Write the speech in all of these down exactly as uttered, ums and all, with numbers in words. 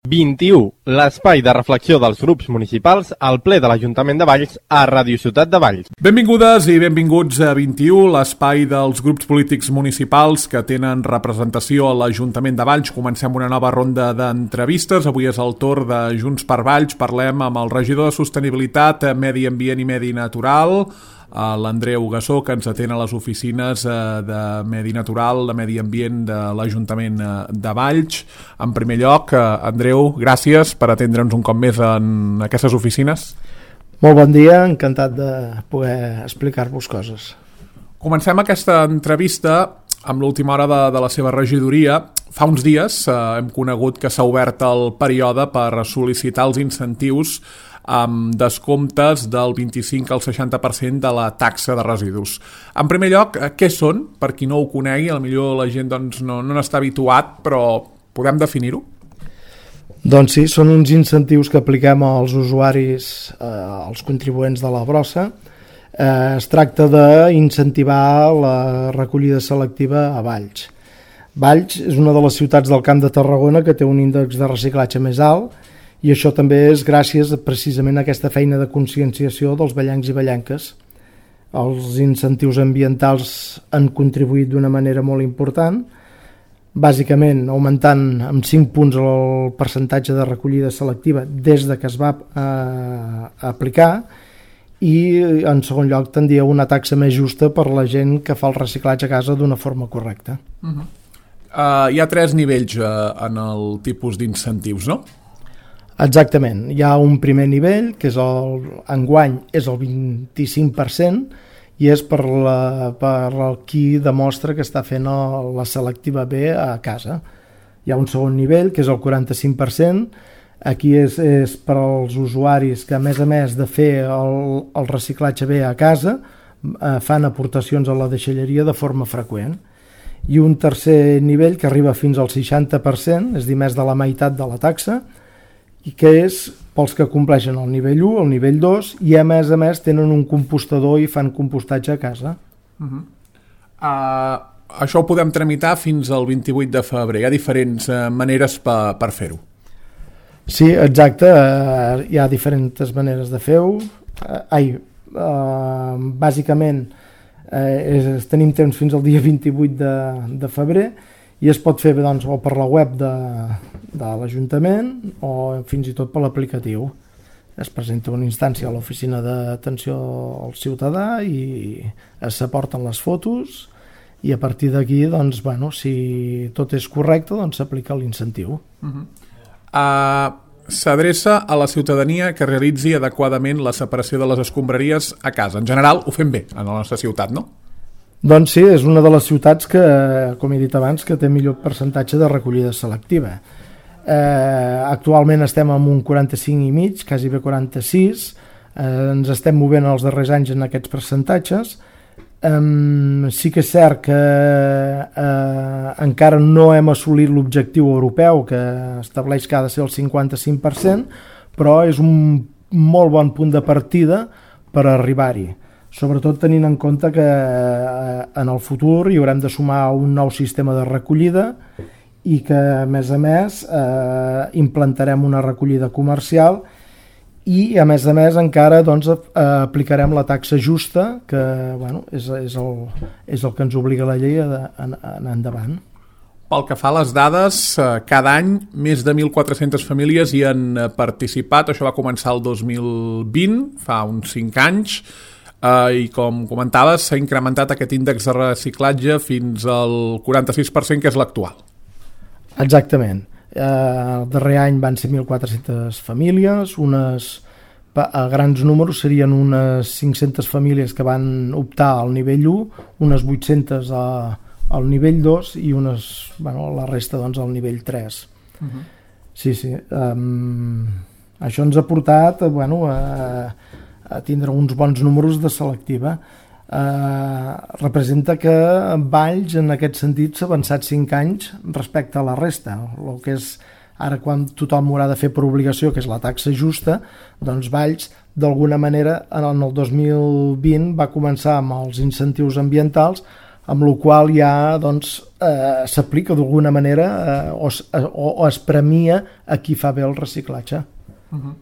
vint-i-u, l'espai de reflexió dels grups municipals al ple de l'Ajuntament de Valls a Ràdio Ciutat de Valls. Benvingudes i benvinguts a vint-i-u, l'espai dels grups polítics municipals que tenen representació a l'Ajuntament de Valls. Comencem una nova ronda d'entrevistes. Avui és el torn de Junts per Valls. Parlem amb el regidor de Sostenibilitat, Medi Ambient i Medi Natural, l'Andreu Gassó, que ens atén a les oficines de Medi Natural, de Medi Ambient de l'Ajuntament de Valls. En primer lloc, Andreu, gràcies per atendre'ns un cop més en aquestes oficines. Molt bon dia, encantat de poder explicar-vos coses. Comencem aquesta entrevista amb l'última hora de, de la seva regidoria. Fa uns dies eh, hem conegut que s'ha obert el període per sol·licitar els incentius amb descomptes del vint-i-cinc al seixanta per cent de la taxa de residus. En primer lloc, què són? Per qui no ho conegui, potser la gent doncs, no, no n'està habituat, però podem definir-ho? Doncs sí, són uns incentius que apliquem als usuaris, eh, als contribuents de la brossa. Eh, es tracta d'incentivar la recollida selectiva a Valls. Valls és una de les ciutats del Camp de Tarragona que té un índex de reciclatge més alt, i això també és gràcies precisament a aquesta feina de conscienciació dels vallencs i vallenques. Els incentius ambientals han contribuït d'una manera molt important, bàsicament augmentant amb cinc punts el percentatge de recollida selectiva des de que es va eh, aplicar, i en segon lloc tendia una taxa més justa per la gent que fa el reciclatge a casa d'una forma correcta. Uh-huh. uh, hi ha tres nivells uh, en el tipus d'incentius, no? Exactament, hi ha un primer nivell que és el, enguany és el vint-i-cinc per cent i és per, la, per el qui demostra que està fent el, la selectiva bé a casa. Hi ha un segon nivell que és el quaranta-cinc per cent, aquí és, és per als usuaris que a més a més de fer el, el reciclatge bé a casa eh, fan aportacions a la deixalleria de forma freqüent. I un tercer nivell que arriba fins al seixanta per cent, és a dir, més de la meitat de la taxa, i que és pels que compleixen el nivell u, el nivell dos, i a més a més tenen un compostador i fan compostatge a casa. Uh-huh. uh, això ho podem tramitar fins al vint-i-vuit de febrer. Hi ha diferents uh, maneres per, per fer-ho. Sí, exacte, uh, hi ha diferents maneres de fer-ho. Uh, ai, uh, bàsicament uh, és, tenim temps fins al dia vint-i-vuit de, de febrer, i es pot fer doncs, o per la web de, de l'Ajuntament o fins i tot per l'aplicatiu. Es presenta una instància a l'oficina d'atenció al ciutadà i s'aporten les fotos, i a partir d'aquí, doncs, bueno, si tot és correcte, doncs s'aplica l'incentiu. Uh-huh. uh, S'adreça a la ciutadania que realitzi adequadament la separació de les escombraries a casa. En general ho fem bé a la nostra ciutat, no? Doncs sí, és una de les ciutats que, com he dit abans, que té millor percentatge de recollida selectiva. Eh, actualment estem amb un quaranta-cinc i mig, quasi bé quaranta-sis, eh, ens estem movent els darrers anys en aquests percentatges. Eh, sí que és cert que eh, encara no hem assolit l'objectiu europeu que estableix que ha de ser el cinquanta-cinc per cent, però és un molt bon punt de partida per arribar-hi. Sobretot tenint en compte que eh, en el futur hi haurem de sumar un nou sistema de recollida i que, a més a més, eh, implantarem una recollida comercial i, a més a més, encara doncs, eh, aplicarem la taxa justa, que bueno, és, és, el, és el que ens obliga la llei a anar endavant. Pel que fa a les dades, cada any més de mil quatre-centes famílies hi han participat. Això va començar el dos mil vint, fa uns cinc anys, Uh, i com comentaves s'ha incrementat aquest índex de reciclatge fins al quaranta-sis per cent, que és l'actual. Exactament. Uh, el darrer any van ser mil quatre-centes famílies, unes, a grans números serien unes cinc-centes famílies que van optar al nivell u, unes vuit-centes a, al nivell dos i unes, bueno, la resta doncs, al nivell tres. Uh-huh. Sí, sí. Um, això ens ha portat bueno, a a tindre uns bons números de selectiva. Eh, representa que Valls en aquest sentit s'ha avançat cinc anys respecte a la resta. El que és ara quan tothom haurà de fer per obligació, que és la taxa justa, doncs Valls d'alguna manera en el dos mil vint va començar amb els incentius ambientals amb la qual ja doncs, eh, s'aplica d'alguna manera eh, o, o, o es premia a qui fa bé el reciclatge. Uh-huh.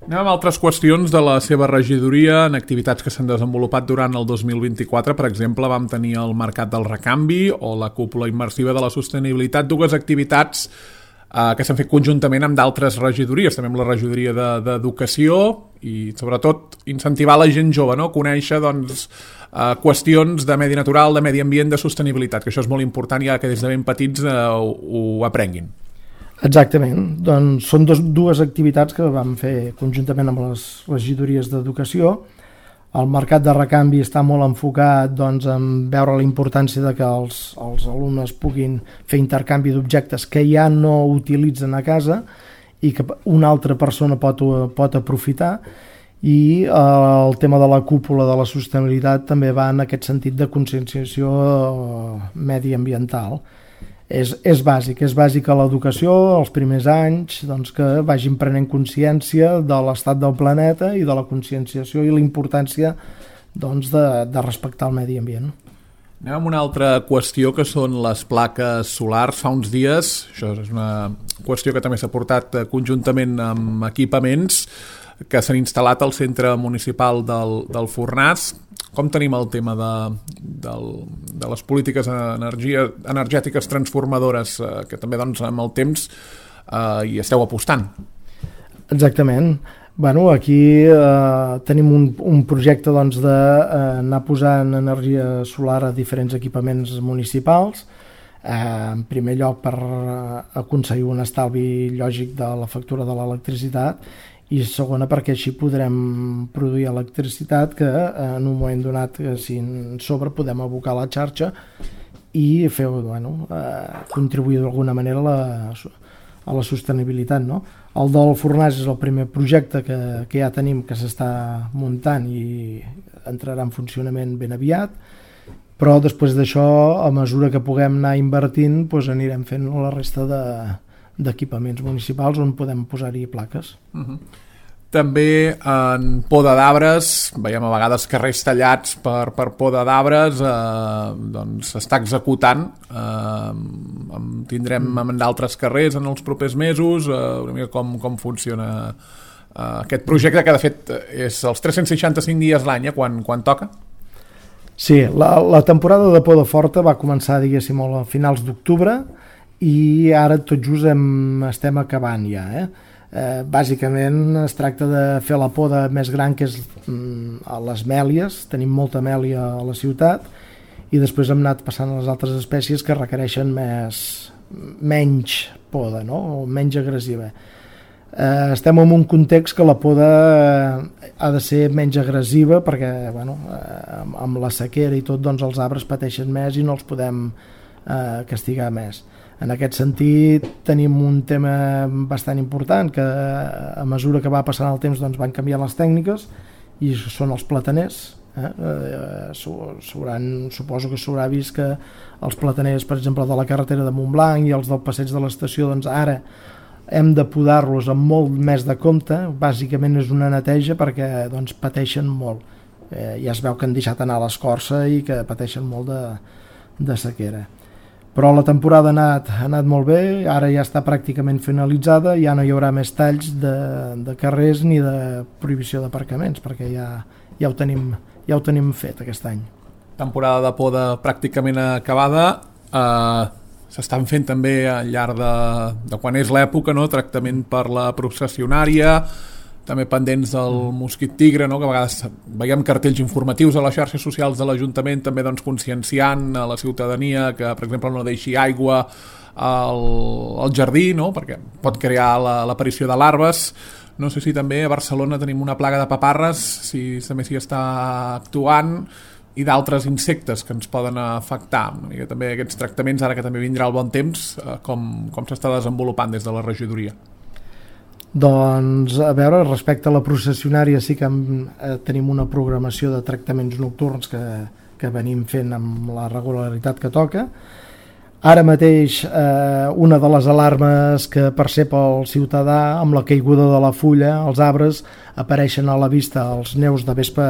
Anem amb altres qüestions de la seva regidoria en activitats que s'han desenvolupat durant el dos mil vint-i-quatre. Per exemple, vam tenir el Mercat del Recanvi o la Cúpula Immersiva de la Sostenibilitat, dues activitats eh, que s'han fet conjuntament amb d'altres regidories, també amb la regidoria d'Educació i sobretot incentivar la gent jove, no? Conèixer doncs, eh, qüestions de medi natural, de medi ambient, de sostenibilitat, que això és molt important ja que des de ben petits eh, ho, ho aprenguin. Exactament, doncs són dos, dues activitats que vam fer conjuntament amb les regidories d'Educació. El mercat de recanvi està molt enfocat doncs, en veure la importància de que els, els alumnes puguin fer intercanvi d'objectes que ja no utilitzen a casa i que una altra persona pot, pot aprofitar, i eh, el tema de la cúpula de la sostenibilitat també va en aquest sentit de conscienciació mediambiental. És, és bàsic, és bàsic a l'educació els primers anys doncs, que vagin prenent consciència de l'estat del planeta i de la conscienciació i la importància doncs, de, de respectar el medi ambient. Anem amb una altra qüestió que són les plaques solars. Fa uns dies, això és una qüestió que també s'ha portat conjuntament amb equipaments que s'han instal·lat al centre municipal del, del Fornàs. Com tenim el tema de, de, de les polítiques energia, energètiques transformadores eh, que també doncs, amb el temps eh, hi esteu apostant? Exactament. Bueno, aquí eh, tenim un, un projecte doncs, d'anar eh, posant energia solar a diferents equipaments municipals. Eh, en primer lloc per aconseguir un estalvi lògic de la factura de l'electricitat, i segona perquè així podrem produir electricitat que en un moment donat, si en sobre, podem abocar a la xarxa i fer, bueno, eh, contribuir d'alguna manera a la, a la sostenibilitat, no? El del Fornàs és el primer projecte que, que ja tenim, que s'està muntant i entrarà en funcionament ben aviat, però després d'això, a mesura que puguem anar invertint, doncs anirem fent la resta de d'equipaments municipals on podem posar-hi plaques. Uh-huh. També en poda d'arbres, veiem a vegades carrers tallats per, per poda d'arbres, eh, doncs s'està executant, eh, tindrem en d'altres carrers en els propers mesos, eh, una mica com, com funciona eh, aquest projecte, que de fet és els tres-cents seixanta-cinc dies l'any, eh, quan, quan toca? Sí, la, la temporada de poda forta va començar, diguéssim, a finals d'octubre, i ara tot just hem, estem acabant ja. Eh? Eh, bàsicament es tracta de fer la poda més gran, que és mm, a les mèlies. Tenim molta mèlia a la ciutat, i després hem anat passant a les altres espècies que requereixen més, menys poda, no? O menys agressiva. Eh, estem en un context que la poda ha de ser menys agressiva perquè bueno, eh, amb la sequera i tot, doncs, els arbres pateixen més i no els podem eh, castigar més. En aquest sentit tenim un tema bastant important, que a mesura que va passant el temps doncs van canviar les tècniques, i són els plataners. Eh? Eh, suposo que s'haurà vist que els plataners, per exemple, de la carretera de Montblanc i els del passeig de l'estació, doncs ara hem de podar-los amb molt més de compte. Bàsicament és una neteja perquè doncs, pateixen molt. Eh, ja es veu que han deixat anar l'escorça i que pateixen molt de, de sequera. Però la temporada ha anat, ha anat molt bé, ara ja està pràcticament finalitzada, ja no hi haurà més talls de, de carrers ni de prohibició d'aparcaments, perquè ja, ja, ho tenim, ja ho tenim fet aquest any. Temporada de poda pràcticament acabada, eh, s'estan fent també al llarg de, de quan és l'època, no? Tractament per la processionària, també pendents del mosquit tigre, no? Que a vegades veiem cartells informatius a les xarxes socials de l'Ajuntament, també doncs, conscienciant a la ciutadania que, per exemple, no deixi aigua al, al jardí, no? Perquè pot crear l'aparició de larves. No sé si també a Barcelona tenim una plaga de paparres, si també s'hi està actuant, i d'altres insectes que ens poden afectar. I també aquests tractaments, ara que també vindrà el bon temps, com, com s'està desenvolupant des de la regidoria? Doncs, a veure, respecte a la processionària sí que eh, tenim una programació de tractaments nocturns que, que venim fent amb la regularitat que toca. Ara mateix eh, una de les alarmes que percep el ciutadà amb la caiguda de la fulla, els arbres, apareixen a la vista els neus de vespa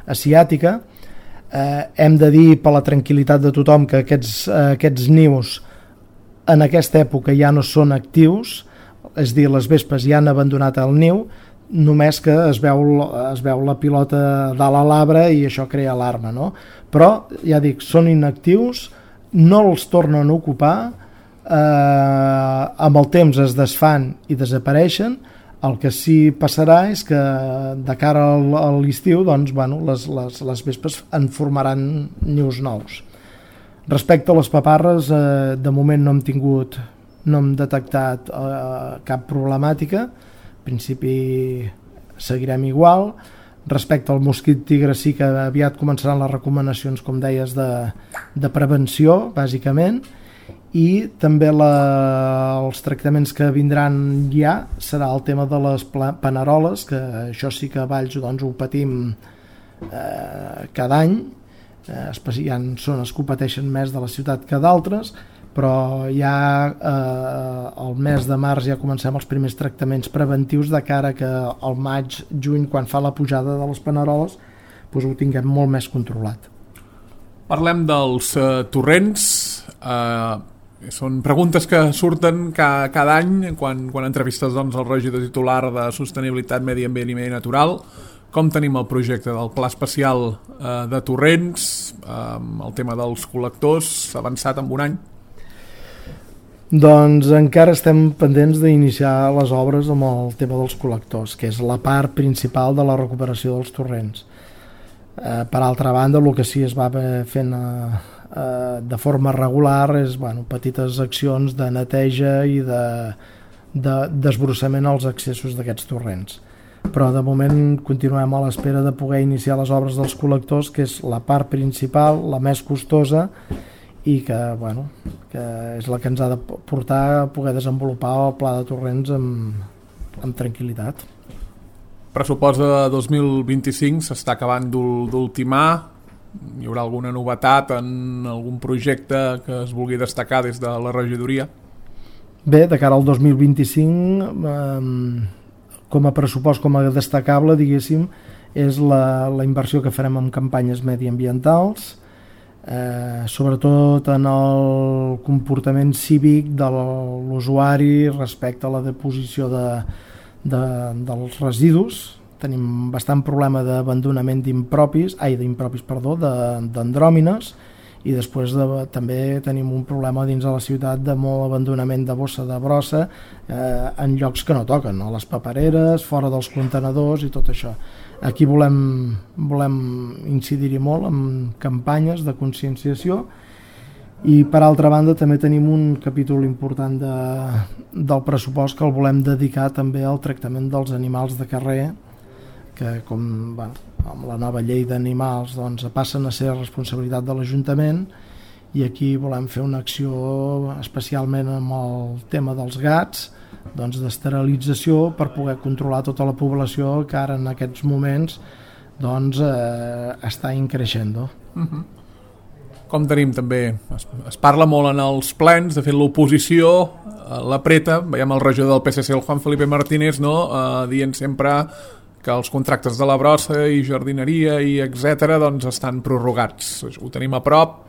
asiàtica. Eh, hem de dir, per la tranquil·litat de tothom, que aquests, eh, aquests nius en aquesta època ja no són actius, és a dir, les vespes ja han abandonat el niu, només que es veu, es veu la pilota dalt a l'arbre i això crea alarma, no? Però, ja dic, són inactius, no els tornen a ocupar, eh, amb el temps es desfan i desapareixen. El que sí passarà és que de cara a l'estiu, doncs, bueno, les, les, les vespes en formaran nius nous. Respecte a les paparres, eh, de moment no hem tingut, no hem detectat eh, cap problemàtica. En principi seguirem igual. Respecte al mosquit tigre sí que aviat començaran les recomanacions, com deies, de, de prevenció, bàsicament, i també la, els tractaments que vindran ja serà el tema de les paneroles, que això sí que a Valls doncs, ho patim eh, cada any. Eh, hi ha zones que ho pateixen més de la ciutat que d'altres, però ja eh, el mes de març ja comencem els primers tractaments preventius de cara que al maig, juny, quan fa la pujada de les paneroles, doncs ho tinguem molt més controlat. Parlem dels uh, torrents. Uh, són preguntes que surten ca, cada any quan, quan entrevistes doncs, el regidor titular de Sostenibilitat, Medi Ambient i Medi Natural. Com tenim el projecte del Pla Especial uh, de Torrents, uh, el tema dels col·lectors, avançat en un any? Doncs encara estem pendents d'iniciar les obres amb el tema dels col·lectors, que és la part principal de la recuperació dels torrents. Eh, per altra banda, el que sí es va fent eh, eh, de forma regular és bueno, petites accions de neteja i de, de desbrossament als accessos d'aquests torrents. Però de moment continuem a l'espera de poder iniciar les obres dels col·lectors, que és la part principal, la més costosa, i que, bueno, que és la que ens ha de portar a poder desenvolupar el pla de torrents amb, amb tranquil·litat. Pressupost de dos mil vint-i-cinc s'està acabant d'ultimar. Hi haurà alguna novetat en algun projecte que es vulgui destacar des de la regidoria? Bé, de cara al dos mil vint-i-cinc, eh, com a pressupost, com a destacable, diguéssim, és la, la inversió que farem en campanyes mediambientals, Eh, sobretot en el comportament cívic de l'usuari respecte a la deposició de, de, dels residus. Tenim bastant problema d'abandonament d'impropis, ai, d'impropis, perdó, d'andròmines, i després de, també tenim un problema dins de la ciutat de molt abandonament de bossa de brossa eh, en llocs que no toquen, a les papereres, fora dels contenedors i tot això. Aquí volem, volem incidir-hi molt en campanyes de conscienciació i per altra banda també tenim un capítol important de, del pressupost que el volem dedicar també al tractament dels animals de carrer, que com bueno, amb la nova llei d'animals doncs, passen a ser responsabilitat de l'Ajuntament, i aquí volem fer una acció especialment amb el tema dels gats, doncs d'esterilització per poder controlar tota la població que ara en aquests moments doncs, eh, està increixent. Uh-huh. Com tenim també, es, es parla molt en els plens, de fet l'oposició eh, l'apreta, veiem el regidor del P S C, el Juan Felipe Martínez, no? eh, dient sempre que els contractes de la brossa i jardineria i etcètera doncs estan prorrogats. Ho tenim a prop?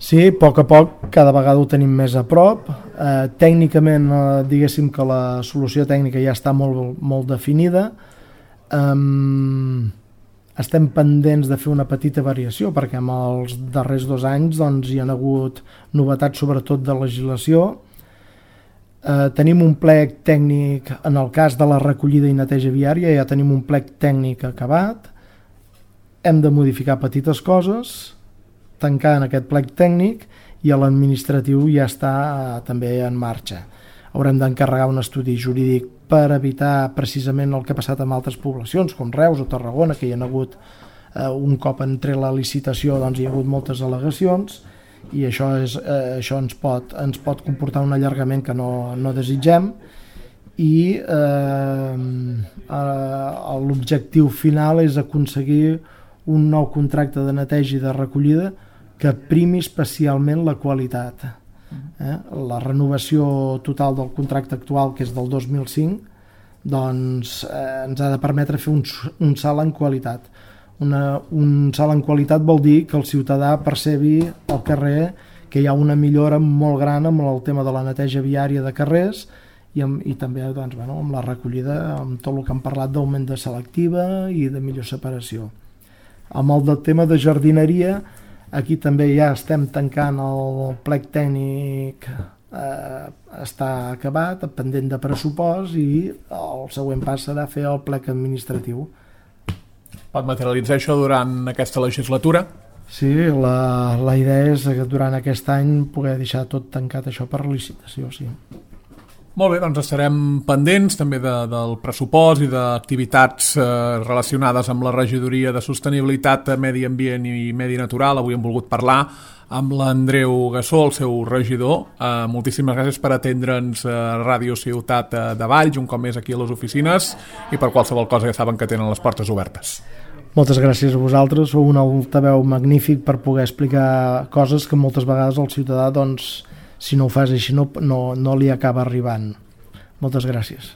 Sí, a poc a poc cada vegada ho tenim més a prop. Eh, tècnicament, eh, diguéssim que la solució tècnica ja està molt, molt definida. Um, estem pendents de fer una petita variació perquè en els darrers dos anys doncs, hi ha hagut novetats sobretot de legislació. Eh, tenim un plec tècnic en el cas de la recollida i neteja viària, ja tenim un plec tècnic acabat. Hem de modificar petites coses, tancar en aquest plec tècnic, i l'administratiu ja està eh, també en marxa. Haurem d'encarregar un estudi jurídic per evitar precisament el que ha passat amb altres poblacions, com Reus o Tarragona, que hi ha hagut eh, un cop entre la licitació doncs, hi ha hagut moltes al·legacions, i això, és, eh, això ens, pot, ens pot comportar un allargament que no, no desitgem, i eh, eh, l'objectiu final és aconseguir un nou contracte de neteja i de recollida que primi especialment la qualitat. Eh? La renovació total del contracte actual, que és del dos mil cinc, doncs eh, ens ha de permetre fer un, un salt en qualitat. Una, un salt en qualitat vol dir que el ciutadà percebi al carrer que hi ha una millora molt gran amb el tema de la neteja viària de carrers i, amb, i també doncs, bueno, amb la recollida, amb tot el que hem parlat d'augment de selectiva i de millor separació. Amb el del tema de jardineria, aquí també ja estem tancant el plec tècnic, eh, està acabat, pendent de pressupost, i el següent pas serà fer el plec administratiu. Pot materialitzar això durant aquesta legislatura? Sí, la, la idea és que durant aquest any poder deixar tot tancat això per licitació, sí. Molt bé, doncs estarem pendents també de, del pressupost i d'activitats eh, relacionades amb la regidoria de sostenibilitat, medi ambient i medi natural. Avui hem volgut parlar amb l'Andreu Gassó, el seu regidor. Eh, moltíssimes gràcies per atendre'ns a Ràdio Ciutat de Valls, un cop més aquí a les oficines, i per qualsevol cosa ja saben que tenen les portes obertes. Moltes gràcies a vosaltres, sou un altaveu magnífic per poder explicar coses que moltes vegades el ciutadà, doncs, si no ho fas així, no, no, no li acaba arribant. Moltes gràcies.